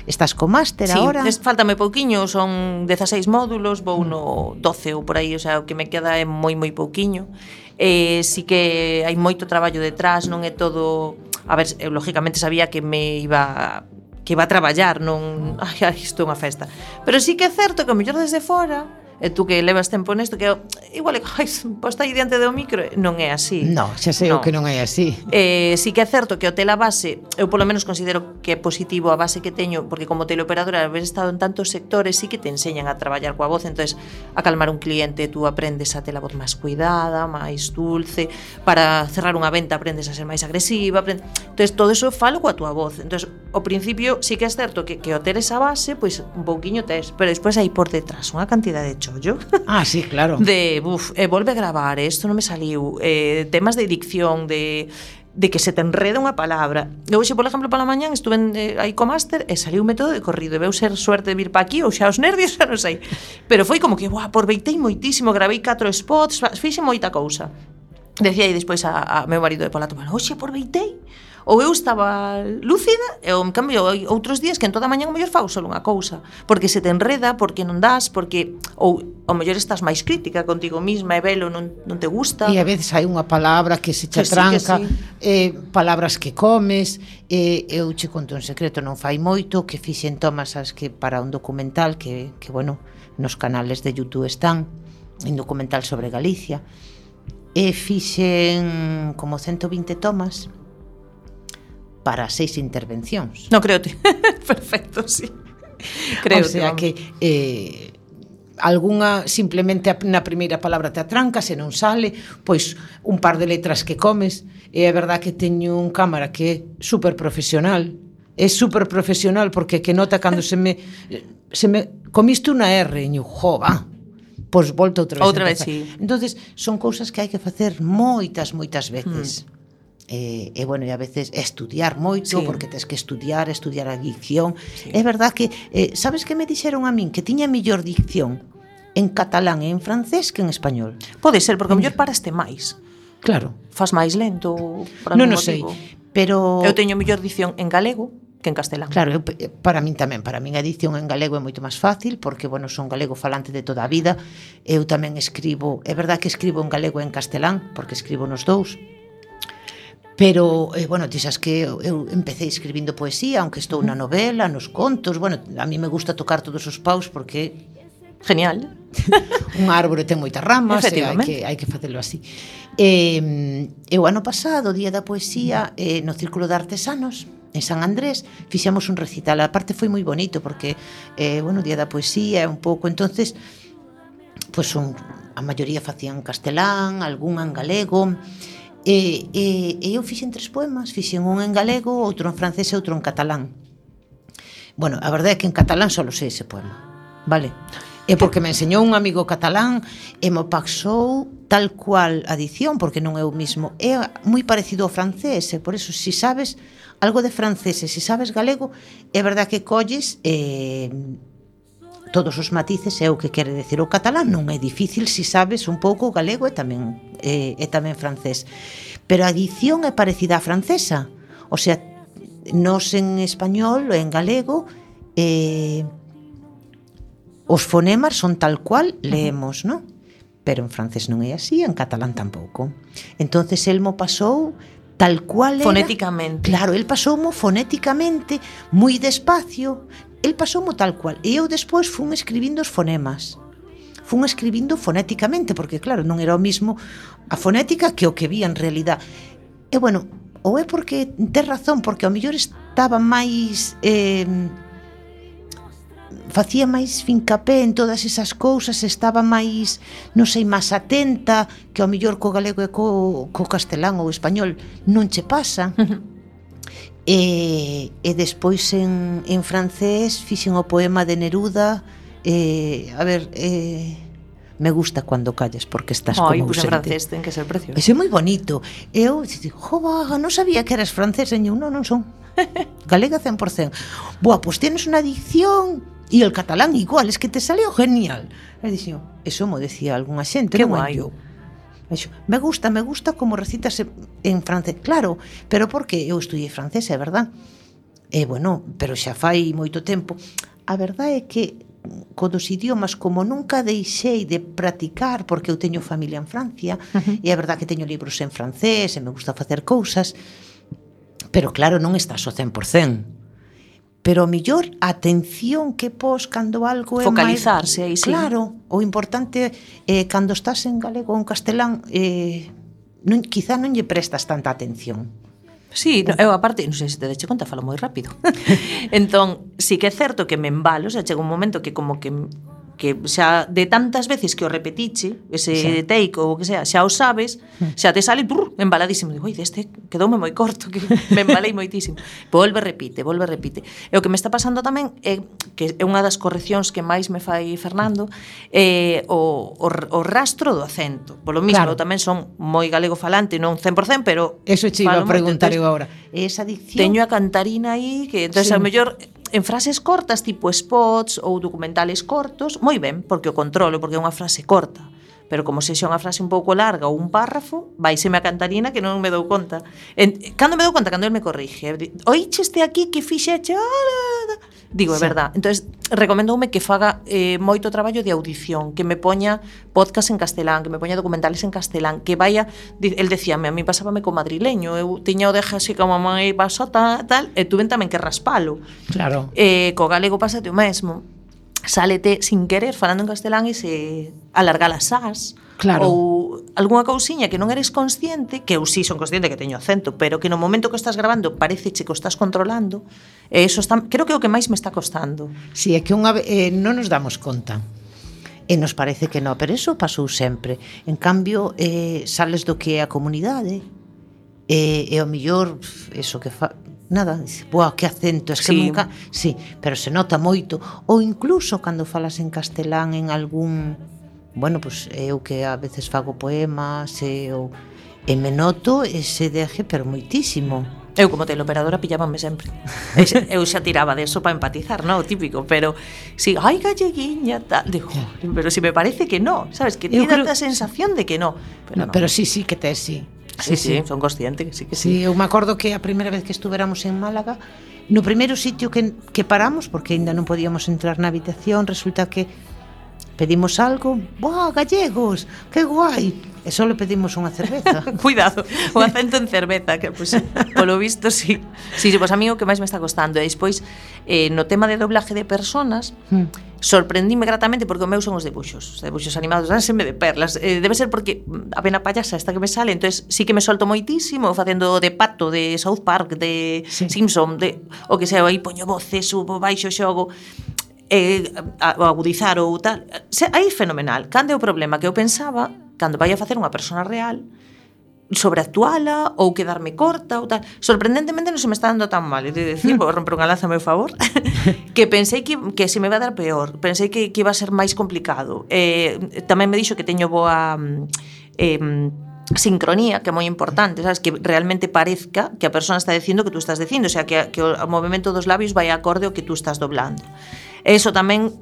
estás co máster agora. Sí, faltame pouquiño, son 16 módulos, vou no 12 ou por aí, o sea, o que me queda é moi pouquiño. Sí que hai moito traballo detrás, non é todo... A ver, eu lógicamente sabía que iba a traballar, non... Ai, isto é unha festa. Pero sí que é certo que o mellor desde fora... E tú que levas tempo nesto, que igual é posta aí diante do micro, non é así. No, xa sei o que non é así. Sí que é certo que o tela base, eu polo menos considero que é positivo a base que teño, porque como teleoperadora, haber estado en tantos sectores, sí que te enseñan a traballar coa voz, entonces a calmar un cliente, tú aprendes a ter a voz máis cuidada, máis dulce, para cerrar unha venta aprendes a ser máis agresiva, entonces todo eso falo coa túa voz. Entonces, ao principio sí que é certo que o ter esa base, pois un pouquiño tes, pero despois aí por detrás unha cantidad de chollo. Ah, sí, claro. Volve a gravar, isto non me saliu, temas de dicción, de que se te enreda unha palabra. Eu hoxe, por exemplo, pola mañán estuve aí co máster e saliu un método de corrido, e veu ser suerte de vir pa aquí ou xa os nervios, xa non sei. Pero foi como que, aproveitei moitísimo, gravei 4 spots, fixe moita cousa. Decía aí despois a meu marido de Polato, hoxe aproveitei, ou eu estaba lúcida, e en cambio outros días que en toda a mañá o mellor fago só unha cousa, porque se te enreda, porque non das, porque ou ao mellor estás máis crítica contigo misma e velo non te gusta. E a veces hai unha palabra que se che tranca, palabras que comes, eu che conto un secreto, non fai moito que fixen tomas que para un documental que bueno, nos canales de YouTube están, un documental sobre Galicia, e fixen como 120 tomas para 6 intervencións. Non creote. Perfecto, sí. Creo. O sea que algunha simplemente na primeira palabra te atranca, se non sale, pois un par de letras que comes. E é verdad que teño un cámara que é super profesional. É super profesional porque que nota cando se me comiste unha R, e jo, pois volta outra vez. Sí. Entonces, son cousas que hai que facer moitas veces. E bueno, e a veces estudiar moito, porque tes que estudiar a dicción. É verdad que, sabes que me dixeron a min que tiña mellor dicción en catalán e en francés que en español. Pode ser, porque a mellor paraste máis. Claro. Fas máis lento por Non algún sei, motivo. pero... Eu teño mellor dicción en galego que en castelán. Claro, para min tamén, para min a edición en galego é moito máis fácil, porque, bueno, son galego falante de toda a vida. Eu tamén escribo, é verdad que escribo en galego e en castelán, porque escribo nos dous. Pero, bueno, ti sabes que eu empecé escribindo poesía, aunque estou na novela, nos contos, bueno, a mí me gusta tocar todos os paus porque... Genial. Un árbore ten moitas ramas, hai que facelo así. O ano pasado, Día da Poesía, no Círculo de Artesanos, en San Andrés, fixemos un recital. A parte foi moi bonito porque, bueno, Día da Poesía é un pouco, entonces, pues a maioría facían castelán, algún en galego. E eu fixen 3 poemas, fixen un en galego, outro en francés e outro en catalán. Bueno, a verdade é que en catalán só sei ese poema, vale? É porque me enseñou un amigo catalán e me pasou tal cual a dicción, porque non é o mismo. É moi parecido ao francés, e por eso, se sabes algo de francés e se sabes galego, é verdade que colles todos os matices, é o que quere decir o catalán. Non é difícil se sabes un pouco galego e tamén francés. Pero a dicción é parecida á francesa. O sea, nos en español, en galego, os fonemas son tal cual leemos, non? Pero en francés non é así, en catalán tampouco. Entonces el mo pasou tal cual era. Fonéticamente. Claro, el pasoumo fonéticamente, moi despacio, el pasoumo tal cual. E eu despois fun escribindo os fonemas. Fun escribindo fonéticamente, porque claro, non era o mismo a fonética que o que vi en realidad. E bueno, ou é porque tes razón, porque ao mellor estaba máis facía máis fincapé en todas esas cousas, estaba máis, non sei, máis atenta, que ao mellor co galego e co castelán ou español non che pasa. E despois en francés fixen o poema de Neruda, me gusta cuando calles porque estás como ausente. Pues en francés ten que ser precioso. Ese é moi bonito. Eu digo, jova, non sabía que eras francés. E eu, non son. Galega 100%. Boa, pues tienes unha dicción e el catalán igual, es que te salió genial. E dixo, eso mo decía algunha xente, non é eu. Me gusta como recitas en francés. Claro, pero porque eu estudiei francés, é verdad. E bueno, pero xa fai moito tempo. A verdade é que co dos idiomas, como nunca deixei de practicar, porque eu teño familia en Francia, e é verdade que teño libros en francés e me gusta facer cousas, pero claro, non estás ao 100%. Pero o mellor a atención que pos cando algo é focalizarse aí, sí. Claro, o importante cando estás en galego ou en castelán, quizá non lle prestas tanta atención. Sí, eu aparte, non sei se te deche conta, falo moi rápido. Entón, sí que é certo que me embalo, o sea, chega un momento que como que xa de tantas veces que o repetiche, ese take ou o que sea, xa o sabes, xa te sale embaladísimo. Digo, oi, deste quedoume moi corto, que me embalei moitísimo. Volve, repite. E o que me está pasando tamén é que é unha das correccións que máis me fai Fernando, o rastro do acento. Polo mismo, claro. Eu tamén son moi galego falante, non 100%, pero eso che iba a preguntar eu agora. Esa dicción. Teño a cantarina aí, que entonces a mellor en frases cortas, tipo spots ou documentales cortos, moi ben, porque o controlo, porque é unha frase corta. Pero como se xa unha frase un pouco larga ou un párrafo, vaiseme a cantarina que non me dou conta. Cando me dou conta, cando el me corrige, oíche este aquí que fixeche, digo, é verdad. Entonces, recomendoume que faga moito traballo de audición, que me poña podcast en castelán, que me poña documentales en castelán, que vaya, el decíame, a mí pasábame co madrileño, eu tiña o deja así como moi basota, tal, e tuven tamén que raspalo. Claro. Co galego pásate o mesmo. Sálete sin querer falando en castelán e se alarga las as, claro. Ou algunha cousiña que non eres consciente, que eu sí son consciente que teño acento, pero que no momento que estás grabando pareceche que o estás controlando, e eso está, creo que é o que máis me está costando. Si, é que non nos damos conta. E nos parece que non, pero eso pasou sempre. En cambio, sales do que é a comunidade, e ao mellor, eso que nada, boa, que acento, es que sí. Nunca, sí, pero se nota moito, ou incluso cando falas en castelán en algún, bueno, pues eu que a veces fago poemas, e me noto ese deje, pero moitísimo. Eu como teleoperadora pillábanme sempre. Eu xa tiraba de eso para empatizar, ¿no? O típico, pero si, ai, galleguiña, tal, digo, pero si me parece que no, sabes, que tiene esta sensación de que no. Pero sí, que tes, sí. Sí, son consciente que sí que sí. Sí, eu me acordo que a primeira vez que estuveramos en Málaga, no primeiro sitio que paramos, porque ainda non podíamos entrar na habitación, resulta que pedimos algo, ¡buah, gallegos! ¡Qué guai! E só le pedimos unha cerveza. Cuidado, o acento en cerveza, que pues, polo visto, sí. Sí, pues a mí o que máis me está costando. E despois, no tema de doblaje de personas, sorprendíme gratamente porque o meu son os debuxos animados, dánsenme de perlas. Debe ser porque a pena payasa esta que me sale, entonces sí que me solto moitísimo facendo de Pato, de South Park, de Simpson, de o que sea, aí poño voces, subo, baixo, xogo, agudizar ou tal. Aí fenomenal. Cando é o problema que eu pensaba, cando vai a facer unha persona real, sobreactuala ou quedarme corta ou tal. Sorprendentemente non se me está dando tan mal, he de decir, vou romper unha lanza a meu favor, que pensei que se me iba a dar peor, pensei que iba a ser máis complicado. Tamén me dixo que teño boa sincronía, que é moi importante, sabes, que realmente parezca que a persona está dicindo que tú estás dicindo, o sea, que o movimento dos labios vai acorde ao que tú estás doblando. Eso tamén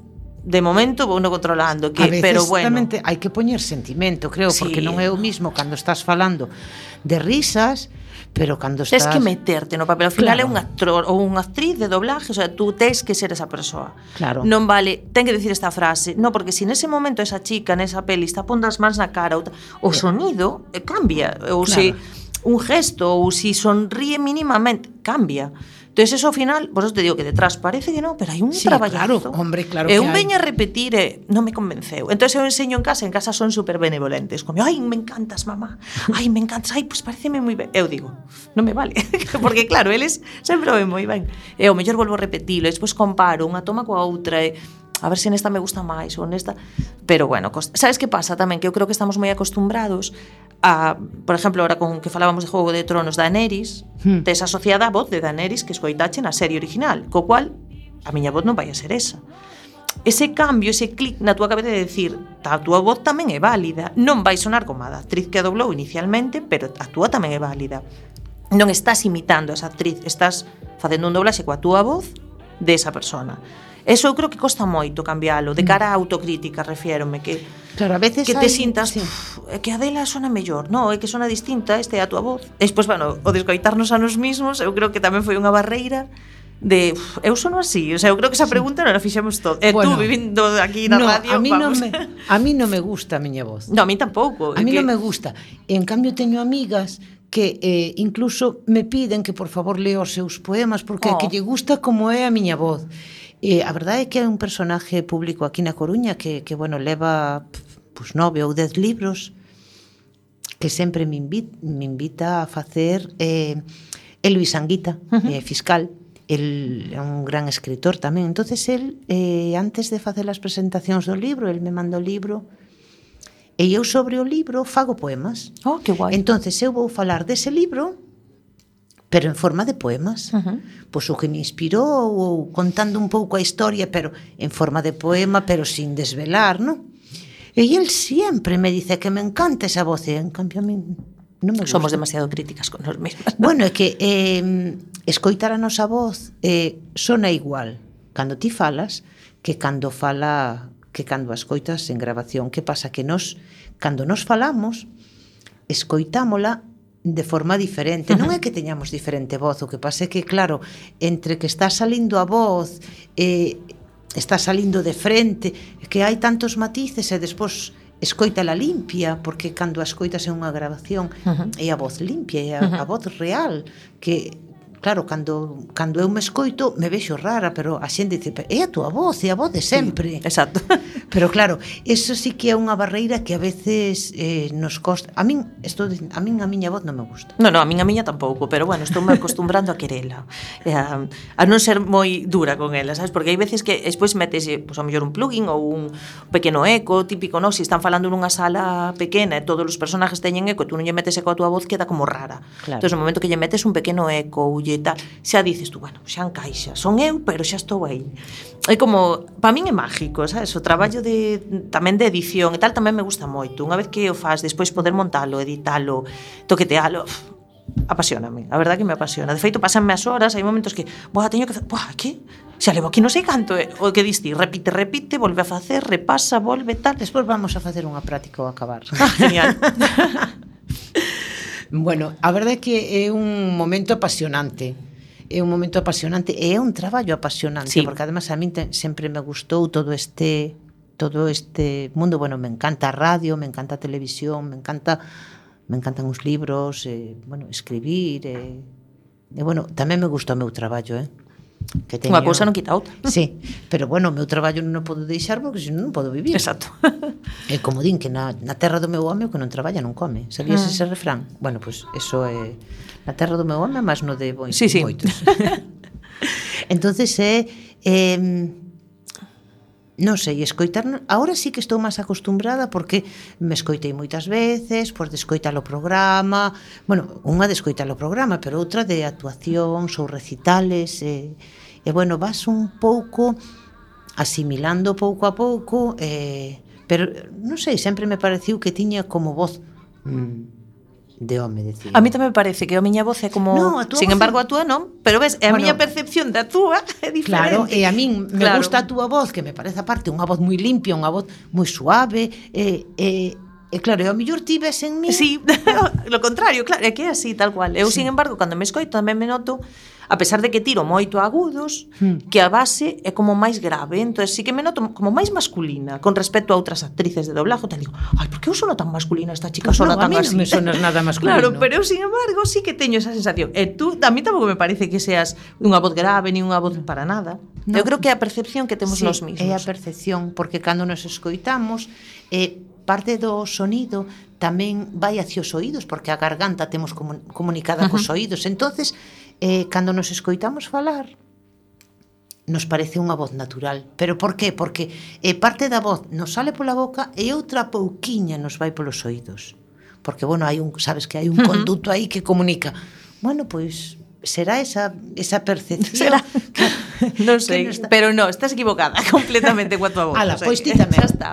de momento vou no controlando, que, a veces pero bueno, tamén hai que poñer sentimento, creo, sí, porque non é o mismo cando estás falando de risas, pero cando estás... Tens que meterte no papel, ao final claro, é un actor ou unha actriz de doblaje, o sea, tú tens que ser esa persoa. Claro. Non vale, ten que decir esta frase, no, porque se nese momento esa chica nesa peli está pondo as mans na cara, o sonido cambia, ou claro, se un gesto, ou se sonríe mínimamente, cambia. Entón, eso ao final, vos te digo que detrás parece que non, pero hai un traballazo. Claro, hombre, claro que hai. Eu veño a repetir non me convenceu. Entón, eu enseño en casa son super benevolentes. Como, ai, me encantas, mamá. Ai, me encantas. Ai, pois pareceme moi ben. Eu digo, non me vale. Porque, claro, eles sempre o ven moi ben. E ao mellor volvo a repetilo, e despois comparo unha toma coa outra, e a ver se nesta me gusta máis ou nesta. Pero, bueno, sabes que pasa tamén? Que eu creo que estamos moi acostumbrados a, por exemplo, ahora con que falábamos de Juego de Tronos, Daenerys, tes asociada a voz de Daenerys que escoitache na serie original, co cual a miña voz non vai a ser esa. Ese cambio, ese clic na túa cabeza de decir, a túa voz tamén é válida, non vai sonar como a da actriz que a doblou inicialmente, pero a túa tamén é válida. Non estás imitando a esa actriz, estás facendo un doblaxe coa túa voz de esa persona. Eso eu creo que costa moito cambialo, de cara a autocrítica, refiérome, que claro, a veces que te hai, sintas, sí, que a dela sona mellor, non, é que sona distinta, este é a túa voz. E despois, bueno, o descoitarnos a nos mismos, eu creo que tamén foi unha barreira de, eu sono así, o sea, eu creo que esa pregunta non a fixemos todo. E bueno, tú vivindo aquí na radio, a mí vamos. A mí non me gusta a miña voz. No, a mí tampouco. A mí non me gusta. En cambio, teño amigas que incluso me piden que por favor lea os seus poemas porque que lle gusta como é a miña voz. A verdade é que é un personaje público aquí na Coruña que bueno, leva pues 9 ou 10 libros que sempre me invita a facer Luis Anguita, fiscal. El é un gran escritor tamén. Entonces el, antes de facer as presentacións do libro, el me manda o libro e eu sobre o libro fago poemas. Oh, que guai. Entonces eu vou falar dese libro pero en forma de poemas. Pois o que me inspirou, ou contando un pouco a historia, pero en forma de poema, pero sin desvelar, non? E el sempre me dice que me encanta esa voz, e en cambio a mí non me gusta. Somos demasiado críticas con nos mesmas. Bueno, é que escoitar a nosa voz sona igual cando ti falas que cando a escoitas en grabación. Que pasa? Que cando nos falamos, escoitámola de forma diferente. Non é que teñamos diferente voz, o que pasa é que, claro, entre que está salindo a voz, está salindo de frente, que hai tantos matices e despois escoítala limpia, porque cando a escoitas en unha grabación é a voz limpia, é a voz real, que claro, cando eu me escoito me vexo rara, pero a xente dice, é a túa voz, é a voz de sempre. Sí, exacto. Pero claro, eso sí que é unha barreira que a veces nos costa. A min a miña voz non me gusta. No, a miña tampouco, pero bueno, estou me acostumbrando a querela, a non ser moi dura con ela, sabes? Porque hai veces que despois metes, pois, ao mellor un plugin ou un pequeno eco, típico, non? Se están falando nunha sala pequena e todos os personajes teñen eco e tú non lle metes eco a tua voz, queda como rara. Claro. Entón, no momento que lle metes un pequeno eco ou lle tal, xa dices tú, bueno, xa encaixa, son eu, pero xa estou aí. É como, para min é mágico, sabes? O traballo tamén de edición e tal tamén me gusta moito. Unha vez que o faz, despois poder montalo, editalo, toquetealo, apasioname, a verdade que me apasiona. De feito, pasanme as horas, hai momentos que, teño que facer, que? Xa levo aquí non sei canto, o que diste, repite, volve a facer, repasa, volve, tal. Despois vamos a facer unha práctica ao acabar. Genial. Bueno, a verdade é que é un momento apasionante. É un momento apasionante e é un traballo apasionante, sí, porque además a min sempre me gustou todo este mundo. Bueno, me encanta a radio, me encanta a televisión, me encantan os libros, bueno, escribir, e bueno, tamén me gusta o meu traballo, que teño... Unha cousa non quita outra. Sí, pero bueno, o meu traballo non o podo deixar porque senón non podo vivir. Exacto. É como din que na terra do meu home o que non traballa non come. Sabías ese refrán? Bueno, pois eso é na terra do meu home, mas no de moitos. Sí. Entonces non sei, escoitar, agora sí que estou máis acostumbrada porque me escoitei moitas veces, pois de escoitar o programa, bueno, unha de escoitar o programa, pero outra de actuacións ou recitales, e bueno, vas un pouco asimilando pouco a pouco, pero non sei, sempre me pareciu que tiña como voz de home, decía. A mí tamén me parece que a miña voz é como... No, a túa sin voz embargo, a túa non, pero ves, a miña percepción da túa é diferente. Claro, e a min me gusta a túa voz, que me parece aparte unha voz moi limpia, unha voz moi suave, e claro, e ao mellor ti ves en mí... Sí, lo contrario, claro, é que é así, tal cual. Eu, sin embargo, cando me escoito, tamén me noto, a pesar de que tiro moito a agudos, que a base é como máis grave, entón sí que me noto como máis masculina con respecto a outras actrices de doblaje, tal digo, ai, por que eu sono tan masculina, esta chica Pues sona no, tan a mí así? non me sonas nada masculino. Claro, pero eu, sin embargo, sí que teño esa sensación. E tú, a mí tampouco me parece que seas unha voz grave, ni unha voz para nada. No. Eu creo que é a percepción que temos Sí, nós mesmos. é a percepción, porque cando nos escoitamos, parte do sonido tamén vai hacia os oídos, porque a garganta temos comunicada cos oídos. Entonces, cando nos escoitamos falar, nos parece unha voz natural. Pero por qué? Porque parte da voz nos sale pola boca e outra pouquiña nos vai polos oídos. Porque, bueno, sabes que hai un conduto aí que comunica. Bueno, pois será esa percepción. Será. Non sei, pero no, estás equivocada completamente coa tua voz. Ala, o sea, pois ti tamén. Xa está.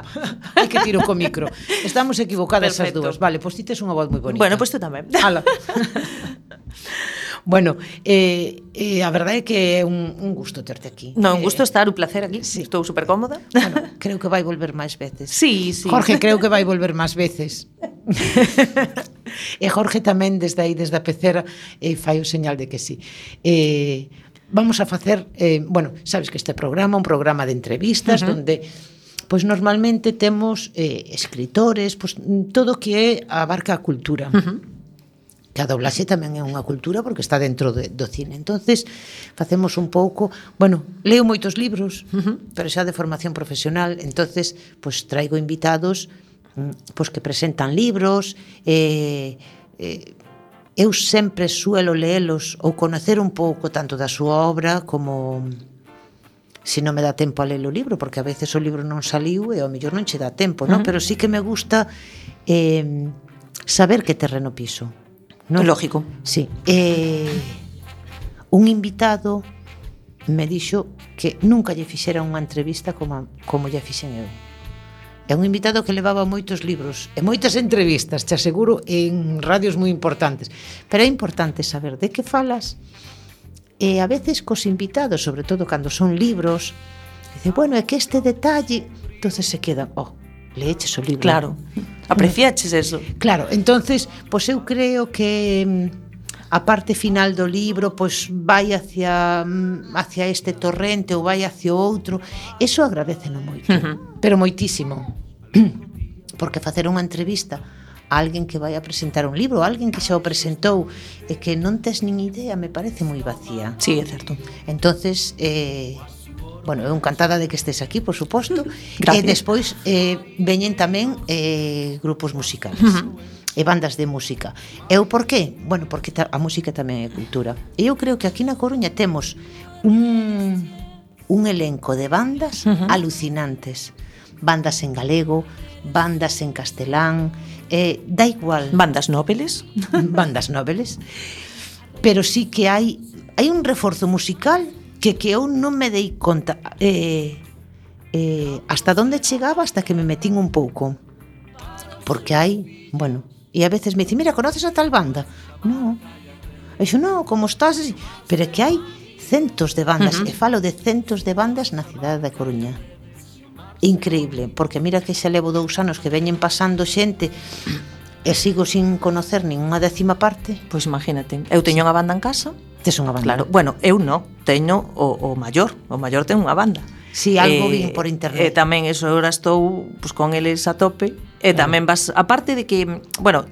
Hai que tiro co micro. Estamos equivocadas as Perfecto. dúas. Vale, pois ti tes unha voz moi bonita. Bueno, pois tú tamén. Ala. Bueno, a verdade é que é un gusto terte aquí. Non, un gusto estar, un placer aquí. Sí. Estou super cómoda. Bueno, creo que vai volver máis veces. Sí, sí. Jorge, creo que vai volver máis veces. E Jorge tamén desde aí, desde a pecera, fai o señal de que sí. Vamos a facer, bueno, sabes que este programa é un programa de entrevistas, donde pois normalmente temos escritores, pois todo que abarca a cultura. Que a doblaxe tamén é unha cultura porque está dentro do cine. Entonces, facemos un pouco, bueno, leo moitos libros, pero xa de formación profesional, entonces, pois traigo invitados pois que presentan libros, eu sempre suelo leelos ou conocer un pouco tanto da súa obra como se non me dá tempo a ler o libro, porque a veces o libro non saliu e ao mellor non che dá tempo, non? Pero sí que me gusta saber que terreno piso. No? Lógico. Sí. Un invitado me dixo que nunca lle fixera unha entrevista como lle fixen eu. É un invitado que levaba moitos libros e moitas entrevistas, te aseguro, en radios moi importantes. Pero é importante saber de que falas. E a veces cos invitados, sobre todo cando son libros, dice, bueno, é que este detalle, entonces se quedan, leeches o libro. Claro, apreciaches eso. Claro, entonces, pois eu creo que a parte final do libro pois vai hacia este torrente ou vai hacia outro. Eso agradeceno moito, pero moitísimo. Porque facer unha entrevista a alguén que vai a presentar un libro, a alguén que xa o presentou e que non tes nin idea, me parece moi vacía. Sí, é certo. Entonces, bueno, eu encantada de que estés aquí, por suposto. Gracias. E despois veñen tamén grupos musicales. E bandas de música. E o por qué? Bueno, porque a música tamén é cultura. E eu creo que aquí na Coruña temos un elenco de bandas alucinantes. Bandas en galego, bandas en castelán, da igual. Bandas nobeles. Bandas nobeles. Pero sí que hai un reforzo musical que eu non me dei conta hasta onde chegaba, hasta que me metín un pouco. Porque hai, bueno, e a veces me dicen, mira, conoces a tal banda? No. E xo, no, como estás? Pero é que hai centos de bandas, e falo de centos de bandas na cidade da Coruña. Increíble, porque mira que xa levo 2 anos que veñen pasando xente e sigo sin conocer ninguna 10ª parte. Pois imagínate, eu teño unha banda en casa. Tes unha banda? Claro, bueno, eu non, teño o maior ten unha banda. Si, algo vin por internet. E tamén eso, agora estou con eles a tope, E tamén vas, aparte de que, bueno,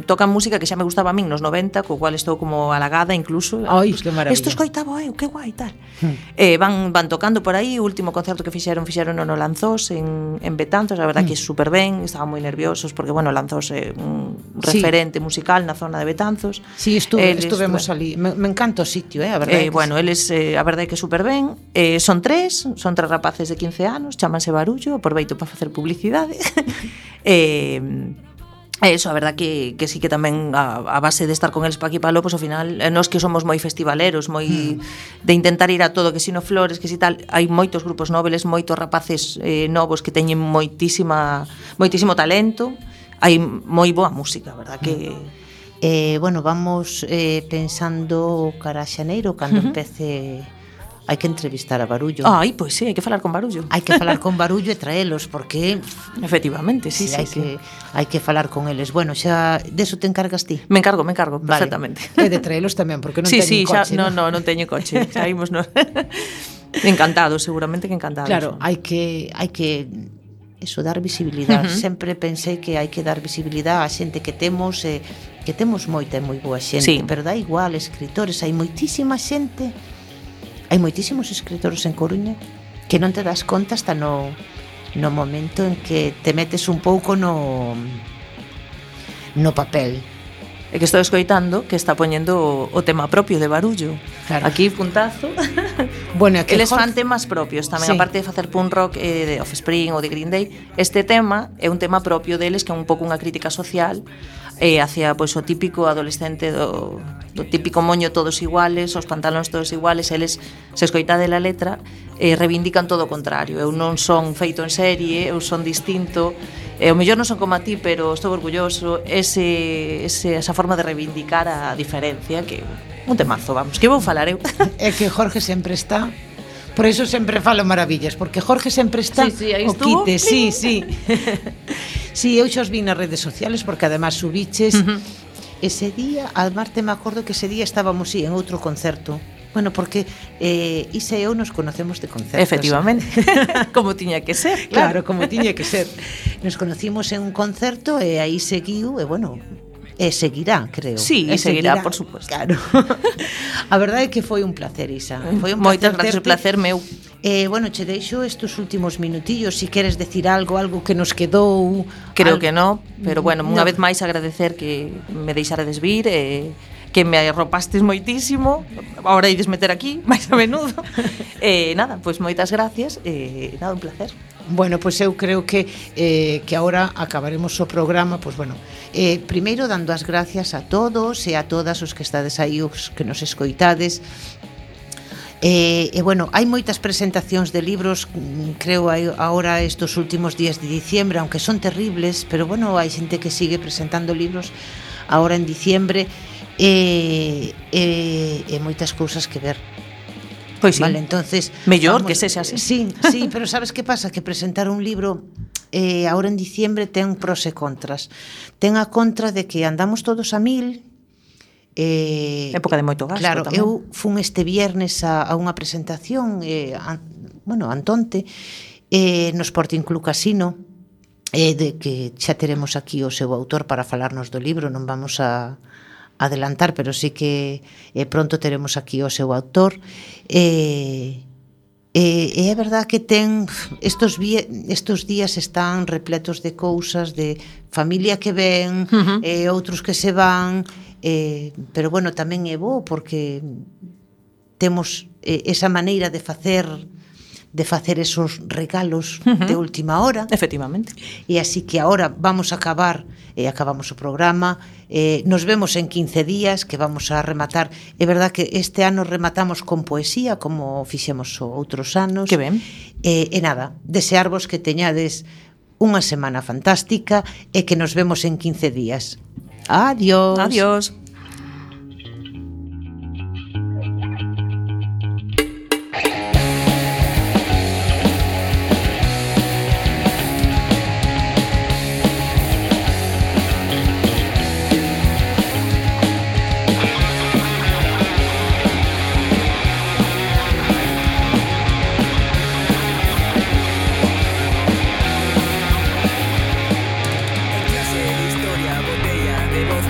tocan música que xa me gustaba a min nos 90, co cual estou como halagada incluso. Ai, que maravilla. Isto escoitaba, que guai, tal. Van tocando por aí, o último concerto que fixeron no Lanzós en Betanzos, a verdad que super ben, estaban moi nerviosos porque, bueno, Lanzós é un referente musical na zona de Betanzos. Sí, estuvemos ali. Me encanta o sitio, a verdade. Bueno, eles, a verdade que super ben. Son tres rapaces de 15 anos, chámanse Barullo, aproveito para facer publicidade. Eso, a verdad que sí que tamén a base de estar con eles pa aquí pa Lopos, ao final, nós que somos moi festivaleros, moi de intentar ir a todo, que si no Flores, que si tal, hai moitos grupos nobles, moitos rapaces novos que teñen moitísimo talento, hai moi boa música, a verdad que... Bueno, vamos pensando cara a xaneiro, cando empece... Hai que entrevistar a Barullo. Ai, pois sí, hai que falar con Barullo. Hai que falar con Barullo e traelos, porque... Efectivamente, sí. Hai que falar con eles. Bueno, xa deso te encargas ti? Me encargo, perfectamente. E de traelos tamén, porque non teñen coche. Sí, non teño coche. Xa imos, non. Encantados, seguramente que encantados. Claro, hai que eso, dar visibilidade. Sempre pensei que hai que dar visibilidade á xente que temos, que temos moita e moi boa xente, pero dá igual, escritores, hai moitísima xente. Hai moitísimos escritores en Coruña que non te das conta hasta no momento en que te metes un pouco no papel. É que estou escoitando que está poñendo o tema propio de Barullo. Claro. Aquí, puntazo. Bueno, aquí eles fan temas propios tamén, aparte de facer punk rock de Offspring ou de Green Day. Este tema é un tema propio deles, que é un pouco unha crítica social hacia pois, o típico adolescente do típico moño todos iguales, os pantalóns todos iguales. Eles, se escoitade la letra, reivindican todo o contrario. Eu non son feito en serie, eu son distinto, o mellor non son como a ti, pero estou orgulloso. Esa forma de reivindicar a diferencia, que un temazo, vamos, que vou falar eu. É que Jorge sempre está. Por eso sempre falo maravillas, porque Jorge sempre está aí o quite, sí. Sí, eu xa os vi nas redes sociales, porque además subiches ese día, además me acordo que ese día estábamos en outro concerto. Bueno, porque Isa e eu nos conocemos de concertos. Efectivamente, como tiña que ser. Claro, como tiña que ser. Nos conocimos en un concerto e aí seguiu, e bueno... E seguirá, creo. Sí, e seguirá, por suposto. Claro. A verdade é que foi un placer, Isa. Foi un moitas gracias, o placer meu. Bueno, che deixo estes últimos minutillos, si queres decir algo que nos quedou. Creo que non, pero bueno, unha vez máis agradecer que me deixaredes vir, que me arropastes moitísimo. Ahora ides meter aquí, máis a menudo. Nada, pois moitas gracias, nada, un placer. Bueno, pois eu creo que agora acabaremos o programa, pois bueno, primeiro dando as gracias a todos e a todas os que estades aí, os que nos escoitades. Bueno, hai moitas presentacións de libros, creo agora estos últimos días de diciembre, aunque son terribles, pero bueno, hai xente que sigue presentando libros agora en diciembre, e moitas cousas que ver. Pois sí. Vale, entonces mellor que sexa así. Sí, pero sabes que pasa? Que presentar un libro ahora en diciembre ten pros e contras. Ten a contra de que andamos todos a 1000. Época de moito gasto. Claro, tamén. eu fun este viernes a unha presentación, antonte, no Sporting Club Casino, de que xa teremos aquí o seu autor para falarnos do libro, non vamos a adelantar, pero sí que pronto teremos aquí o seu autor. É verdad que estos días están repletos de cousas, de familia que ven, outros que se van, pero bueno, tamén é bo porque temos esa maneira de facer esos regalos de última hora. Efectivamente. E así que ahora vamos a acabar, acabamos o programa, nos vemos en 15 días, que vamos a rematar. É verdad que este ano rematamos con poesía, como fixemos outros anos. Que ben. E nada, desearvos que teñades unha semana fantástica e que nos vemos en 15 días. Adiós. Adiós.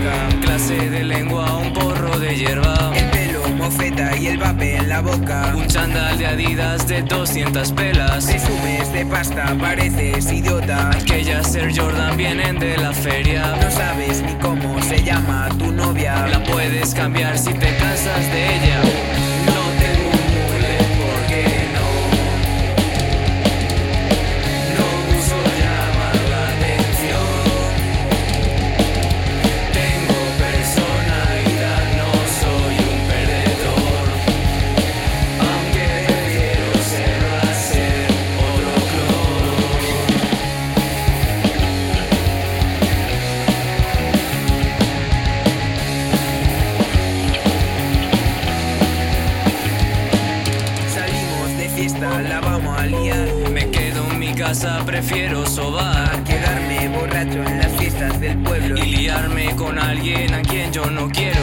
boca. Clase de lengua, un porro de hierba. El pelo, mofeta y el vape en la boca. Un chándal de Adidas de 200 pelas. Presumes de pasta, pareces idiota. Aquellas Air Jordan vienen de la feria. No sabes ni cómo se llama tu novia. La puedes cambiar si te cansas de ella. No te murmules porque no uso llamar la atención. Tengo personalidad, no soy un perdedor. Aunque prefiero serlo a ser otro clon. Salimos de fiesta, la vamos a liar. Me quedo en mi casa, prefiero sobar. Quedarme borracho en las fiestas del pueblo y liarme con alguien a quien yo no quiero.